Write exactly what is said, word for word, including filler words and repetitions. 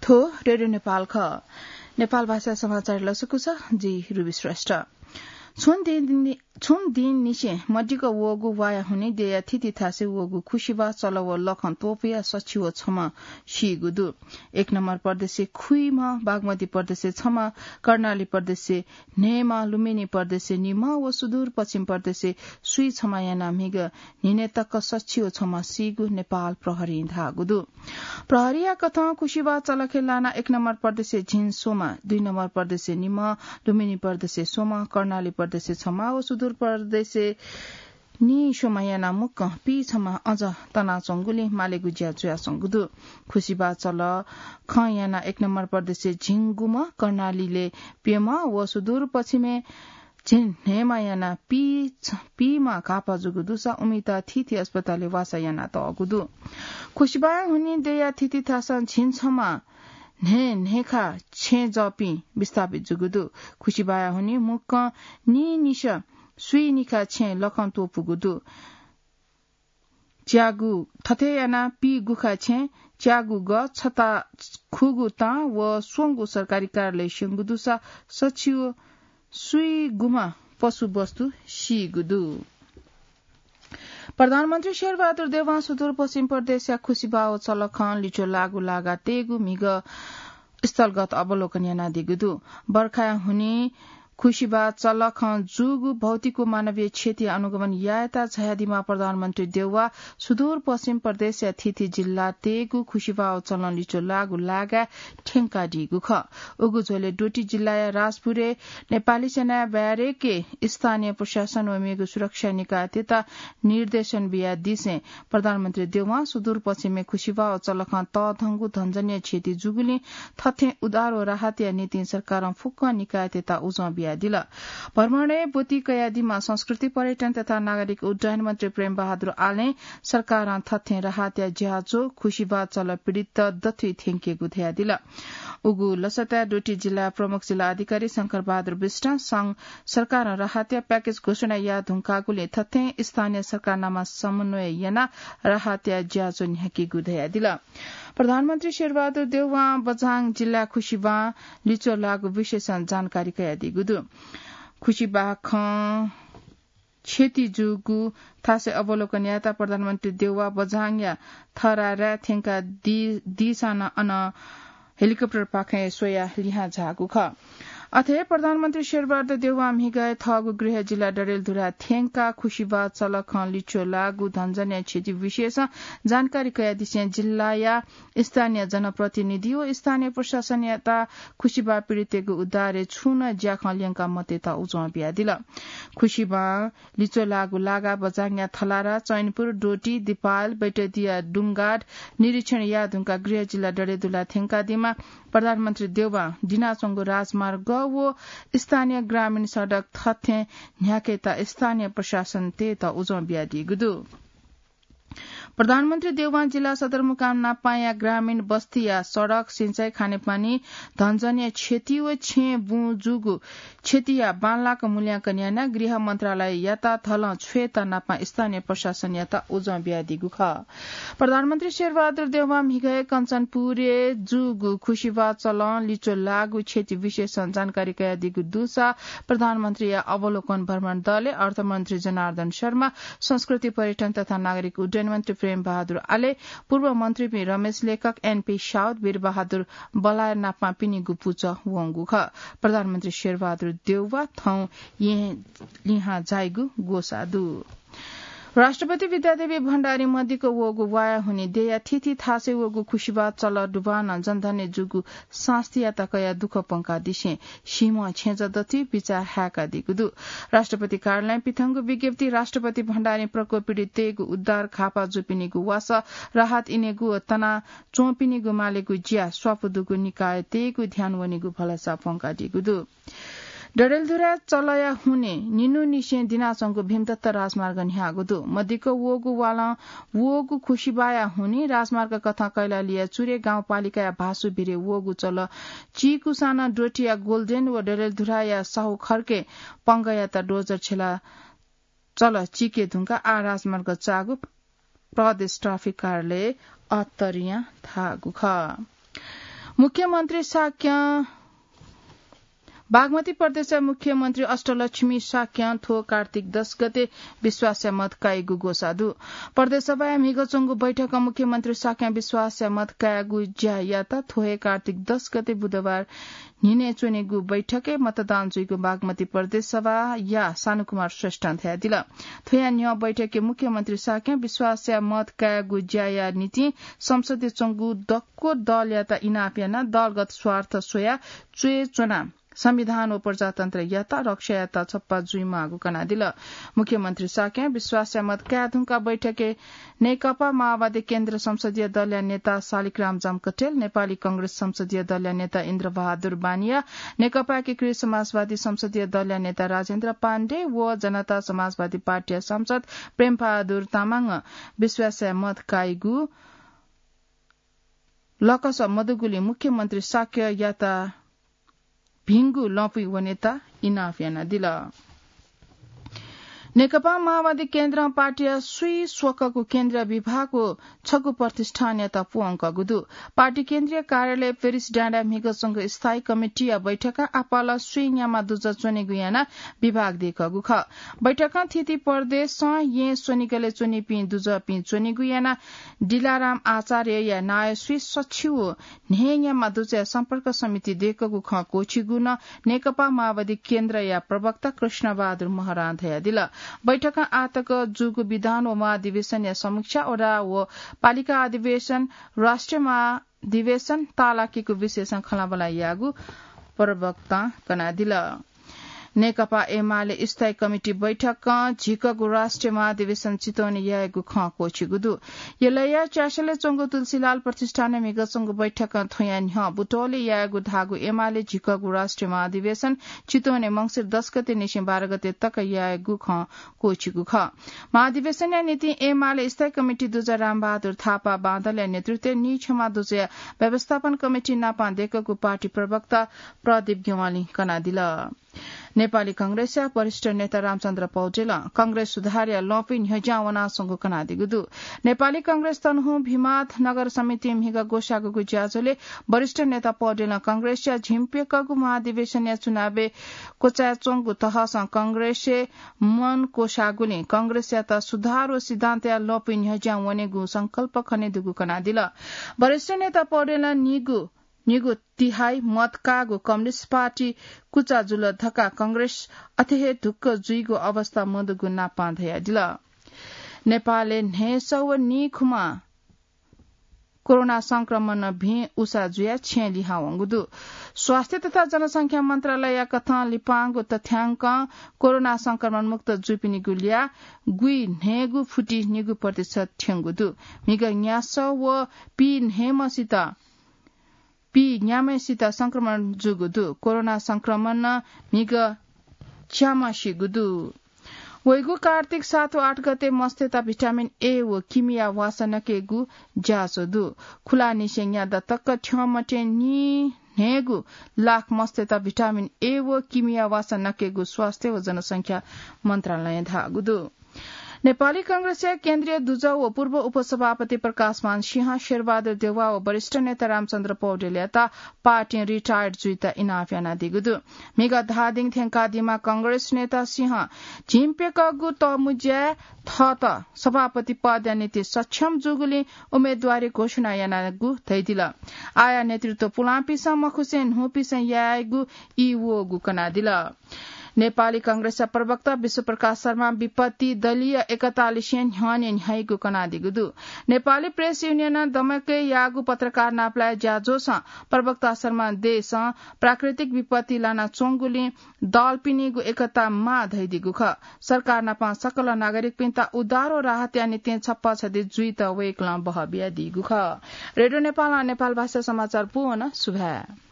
थ्व रेडियो नेपाल खः। नेपाल भाषा समाचार लसकुस, जि रुबी श्रेष्ठ। छुं दिन, छुं दिननिसें मदिक्क वःगु वाया हुनि देया थिति थासय् वःगु खुसिबा चल व लखं त्वपुया सछि व छम्ह सीगु दु। एक नम्बर प्रदेशय् खुइम्ह, बागमती प्रदेशय् छम्ह, कर्णाली प्रदेशय् न्हय्म्ह, लुम्बिनी प्रदेशय् निम्ह व सुदूर पश्चिम प्रदेशय् स्वीछम्ह यानाः म्हिगः न्हिनय् तक सछि व छम्ह सीगु नेपाल प्रहरीं धाःगु दु। प्रहरीया कथं खुसिबा चलखे लानाः एक नम्बर प्रदेशय् झिंस्वम्ह, दुई नम्बर प्रदेशय् निम्ह, लुम्बिनी प्रदेशय् स्वम्ह, कर्णाली प्रदेशय् छम्ह व सुदूर प्रदेशय् नीस्वम्ह यानाः मुक्कं पीछम्ह अझ तनाच्वंगुलिं मालेगु ज्या जुयाच्वंगु दु। खुसिबा चलखं यानाः एक नम्बर प्रदेशय् झिंगुम्ह, कर्णालीलय् प्यम्ह व सुदूर पश्चिमय् झिंन्हय्म्ह यानाः पी छ-, पीम्ह घाःपाः जूगु दुसा उमित थीथी अस्पतालय् वासः यानातःगु दु। खुसिबाया हुनि देया थिति थासं झिंछम्ह न्हय्न्हय्खा छेँ जःपिं विस्थापित जूगु दु। खुसिबाया हुनि मुक्कं नीनिसः स्वीनिखा छेँ लखं त्वपुगु दु। च्यागू थथे यानाः पीगुखा छेँ, च्यागू ग, छता खुगू तां व स्वंगू सरकारी कार्यालय स्यंगु दुसा सछि व स्वीगुम्ह पशुवस्तु सीगु दु। प्रधानमन्त्री शेरबहादुर देवां सुदूरपश्चिम प्रदेशया खुसिबा व चलखं लिच्वः लाःगु लागा तयेगु म्हिगः स्थलगत अवलोकन यानादीगु दु। बर्खाया हुनि खुसिबा चलखं जूगु भौतिक व मानवीय क्षतिया अनुगमन यायेत झायादीम्ह प्रधानमन्त्री देउवा सुदूरपश्चिम प्रदेशया थीथी जिल्ला तयेगु खुसिबा व चलं लिच्वः लाःगु लागाय् थ्यंकादीगु खः। उगु झ्वलय् डोटी जिल्लाया राजपुरय् नेपाली सेनाया ब्यारेकय् स्थानीय प्रशासन व मेगु सुरक्षा निकायतय्त निर्देशन बियादिसें प्रधानमन्त्री देउवां सुदूरपश्चिमय् खुसिबा व चलखं तःधंगु धनजन्य क्षति जूगुलिं थथें उद्धार व राहतया निंतिं सरकारं फुक्क निकायतय्त उजं बियादिल। भ्रमणय् ब्वति कयादीम्ह संस्कृति, पर्यटन तथा नागरिक उड्डयन मन्त्री प्रेम बहादुर आलें सरकारं थथें राहतया ज्याझ्वः खुसिबा चल पीडित दथुइ थ्यंकेगु धयादिल। उगु लसताय् डोटी जिल्ला प्रमुख जिल्ला अधिकारी शंकर बहादुर बिष्टं सं-, सरकारं राहतया प्याकेज घोषणा याये धुंकागुलिं थथें स्थानीय सरकार नामा समन्वय यानाः राहतया ज्याझ्वः न्ह्याकीगु धयादिल। प्रधानमन्त्री शेरबहादुर देउवां बझाङ जिल्ला खुसिबां लिच्वः लाःगु विषयसं जानकारी कयादीगु दु। खुसिबा खं क्षति जूगु थासय् अवलोकन यायेत प्रधानमन्त्री देउवा बझाङया थराराय् थ्यंकादी-, दीसां नं अन हेलिकप्टरपाखें स्वयाः लिहां झाःगु खः। अथे प्रधानमन्त्री शेरबहादुर देउवां म्हिगः थःगु गृह जिल्ला डडेलधुरा थ्यंकाः खुसिबा चलखं लिच्वः लाःगु धनजन्य क्षति विषयसं जानकारी कयादिसें जिल्लाया स्थानीय जनप्रतिनिधि व स्थानीय प्रशासनयात खुसिबा पीडितय्गु उद्धारय् छुं नं ज्याखँ ल्यंका मतयेत उजं बियादिल। खुसिबां लिच्वः लाःगु लागा बझाङया थलारा, चैनपुर, डोटी, दिपायल, बैतडीया डुंगाड निरीक्षण याये धुंकाः गृह जिल्ला डडेलधुरा थ्यंकादीम्ह प्रधानमन्त्री देउवां दिनाच्वंगु राजमार्ग व स्थानीय ग्रामीण सडक थथें न्ह्याकेत स्थानीय प्रशासनतय्त उजं बियादीगु दु। प्रधानमन्त्री देउवां जिल्ला सदरमुकाम नापांया ग्रामीण बस्तीया सडक, सिँचाइ, खानेपानी, धनजन्य क्षति व छेँ बुँ जूगु क्षतिया बांलाक मूल्यांकन यानाः गृह मन्त्रालययात धलं छ्वयेत नापां स्थानीय प्रशासनयात उजं बियादीगु खः। प्रधानमन्त्री शेरबहादुर देउवां म्हिगः कञ्चनपुरय् जूगु खुसिबा चलं लिच्वः लाःगु क्षति विषयसं जानकारी कयादीगु दुसा प्रधानमन्त्रीया अवलोकन भ्रमण दलय् अर्थमन्त्री जनार्दन शर्मा, संस्कृति, पर्यटन तथा नागरिक उड्डयन मन्त्री प्रेम बहादुर आले, पूर्व मन्त्रीपिं रमेश लेखक, एनपी साउद, वीरबहादुर बलाया नापां पिनिगु पुचः वंगु खः। प्रधानमन्त्री शेरबहादुर देउवा थौं येँ लिहां झाइगु ग्वसाः दु। राष्ट्रपति विद्यादेवी भण्डारी मदिक्क वःगु वाया हुनि देया थीथी थासय् वःगु खुसिबा चल दुबानं जनधनय् जूगु सास्तीयात कयाः दुःख पंकादिसें सीम्ह छेँजः दथुइ बिचाः हाय्कादीगु दु। राष्ट्रपति कार्यालयं पिथंगु विज्ञप्ति राष्ट्रपति भण्डारीं प्रकोप पीडिततय्गु उद्धार, घाःपाः जूपिनिगु वासः, राहत इनेगु व तना च्वंपिनिगु मालेगु ज्या स्वापू दुगु निकायतय्गु ध्यान वनीगु भलसा पंकादीगु दु। डडेलधुरा चलया हुने निन्हुनिसें दिनाच्वंगु भीमदत्त राजमार्ग न्ह्याःगु दु। मदिक्क वःगु वालं वःगु खुसिबाया हुने राजमार्ग कथं कैलालीया चुरे गाउँपालिकाया भासु भिरे वःगु चल चीकुसां नं डोटीया गोल्डेन व डडेलधुराया साहु खर्के पंगःयात डोजर छेला चल चीके धुंकाः आः राजमार्ग चाःगु प्रदेश ट्राफिक कार्यालय अत्तरियां धाःगु खः। मुख्यमन्त्री शाक्यं बागमती प्रदेशया मुख्यमन्त्री अष्टलक्ष्मी शाक्यं थ्व कार्तिक दस गते विश्वासया मत काइगु ग्वसाः दु। प्रदेश सभाया म्हिगः च्वंगु बैठकं मुख्यमन्त्री शाक्यं विश्वासया मत कायेगु ज्या यात। थ्व हे कार्तिक दस गते बुधबार न्हिनय् च्वनेगु बैठकय् मतदान जुइगु बागमती प्रदेश सभाया सानुकुमार श्रेष्ठं धयादिल। थ्वया न्ह्यः बैठकय् मुख्यमन्त्री शाक्यं विश्वासया मत कायेगु ज्याया निंतिं संसदय् च्वंगु दक्व दलयात इनाप यानाः दलगत स्वार्थ स्वयाः च्वय् च्वनाः संविधान व प्रजातन्त्रयात रक्षा यायेत छप्पा जुइमाःगु कनादिल। मुख्यमन्त्री शाक्यं विश्वासया मत काये धुंकाः बैठकय् नेकपा माओवादी केन्द्र संसदीय दलया नेता शालिग्राम जमकटेल, नेपाली कांग्रेस संसदीय दलया नेता इन्द्रबहादुर बानिया, नेकपा एकीकृत समाजवादी संसदीय दलया नेता राजेन्द्र पाण्डे व जनता समाजवादी पार्टीया सांसद प्रेमबहादुर तामाङं विश्वासया मत काइगु लकस मदुगुलिं मुख्यमन्त्री शाक्ययात भिंगु लँपुइ वनेत इनाप यानादिल। नेकपा माओवादी केन्द्रं पार्टीया स्वीं स्वकःगु केन्द्रीय विभाग व छगू प्रतिष्ठानयात प्वंकःगु दु। पार्टी केन्द्रीय कार्यालय पेरिस डाँडाय् म्हिगः च्वंगु स्थायी कमिटीया बैठकं आपालं स्वीं न्याम्ह दुजः च्वनेगु यानाः विभाग दय्‌कःगु खः। बैठकं थीथी प्रदेशं येँ स्वनिगलय् च्वनीपिं दुजःपिं च्वनेगु यानाः दिलाराम आचार्यया नायः स्वीं सछि व न्हय्‌न्याम्ह दुजःया सम्पर्क समिति दय्‌कःगु खँ क्वःछिगु नं नेकपा माओवादी केन्द्रया प्रवक्ता कृष्णबहादुर महरां धयादिल। बैठकं आःतक जूगु विधान व महाधिवेशनया समीक्षा, वडा व पालिका अधिवेशन, राष्ट्रिय महाधिवेशन ताःलाकेगु विषयसं खँल्हाबल्हा याःगु प्रवक्तां कनादिल। नेकपा एमाले स्थायी कमिटी बैठकं झिकःगु राष्ट्रिय महाधिवेशन चितवनय् यायेगु खँ क्वःछिगु दु। यलया च्यासलय् च्वंगु तुलसीलाल प्रतिष्ठानय् म्हिगः च्वंगु बैठकं थ्वया न्ह्यः बुटवलय् यायेगु धाःगु एमाले झिकःगु राष्ट्रिय महाधिवेशन चितवनय् मंसिर दस गते निसें बाह्र गते तक यायेगु खँ क्वःछिगु खः। महाधिवेशनया निंतिं एमाले स्थायी कमिटी दुजः रामबहादुर थापा बांदलया नेतृत्वय् नीक्षमा दुजःया व्यवस्थापन कमिटी नाप दय्‌कःगु पार्टी प्रवक्ता प्रदीप ज्ञवालीं कनादिल। नेपाली कांग्रेसया वरिष्ठ नेता रामचन्द्र पौडेलं कांग्रेस सुधारया लँपुइ न्ह्यज्यां वनाच्वंगु कनादीगु दु। नेपाली कांग्रेस तनहुँ भिमाथ नगर समितिं म्हिगः ग्वसाःगु ज्याझ्वलय् वरिष्ठ नेता पौडेलं कांग्रेसया झिंप्यकःगु महाधिवेशनया चुनावय् क्वचाय् च्वंगु तहसं कांग्रेसय् मन क्वसाःगुलिं कांग्रेसयात सुधार व सिद्धान्तया लँपुइ न्ह्यज्यां वनेगु संकल्प खनेदुगु कनादिल। वरिष्ठ नेता पौडेलं निगू निगू तिहाई मत काःगु कम्युनिस्ट पार्टी कुचा जुल धकाः कांग्रेस अथे हे ढुक्क जुइगु अवस्था मदुगु नापं धयादिल। नेपालय् न्हय्‌सः व नीखुम्ह कोरोना संक्रमणं भिं उसा जुयाः छेँ लिहां वंगु दु। स्वास्थ्य तथा जनसंख्या मन्त्रालयया कथं लिपांगु तथ्यांकं कोरोना संक्रमण मुक्त जूपिनिगु ल्याः गुइन्हय्‌गू फुति निगू प्रतिशत थ्यंगु दु। म्हिगः न्यासः व पीन्हय्‌म्हसित पीन्याम्हसित संक्रमण जूगु दु। कोरोना संक्रमणं म्हिगः च्याम्ह सीगु दु। वइगु कार्तिक सात व आठ गते मस्तय्‌त भिटामिन ए व किमिया वासः नकेगु ज्याझ्वः दु। खुलानिसें न्यादँ तक थ्यंमते नीन्हय्‌गू लाख मस्तय्‌त भिटामिन ए व किमिया वासः नकेगु स्वास्थ्य व जनसंख्या मन्त्रालयं धाःगु दु। नेपाली कांग्रेसया केन्द्रीय दुजः व पूर्व उपसभापति प्रकाशमान सिंह, शेरबहादुर देउवा व वरिष्ठ नेता रामचन्द्र पौडेलयात पार्टीं रिटायर्ड जुइत इनाप यानादीगु दु। म्हिगः धाःदिं थ्यंकादीम्ह कांग्रेस नेता सिंह झिंप्यकःगु तःमुँज्याय् थःत सभापति पदया निंतिं सक्षम जूगुलिं उम्मेदवारी घोषणा यानागु धयादिल। आःया नेतृत्व पुलांपिसं मखुसें न्हूपिसं यायेगु ई वःगु कनादिल। नेपाली कांग्रेसया प्रवक्ता विश्वप्रकाश शर्मां विपत्ति दलीय एकतालिसें न्ह्यःने न्ह्याइगु कनादीगु दु। नेपाली प्रेस युनियनं दमकय् याःगु पत्रकार नापलाये ज्याझ्वलय् प्रवक्ता शर्मां देशं प्राकृतिक विपत्ति लानाच्वंगुलिं दलपिनिगु एकता माः धयादीगु खः। सरकार नाप सकल नागरिकपिन्त उद्धार व राहतया निंतिं छप्पा छधी जुइत वय्‌कलं बहः बियादीगु खः। रेडियो नेपालं नेपाल भाषा समाचार पूवन सुभाय्।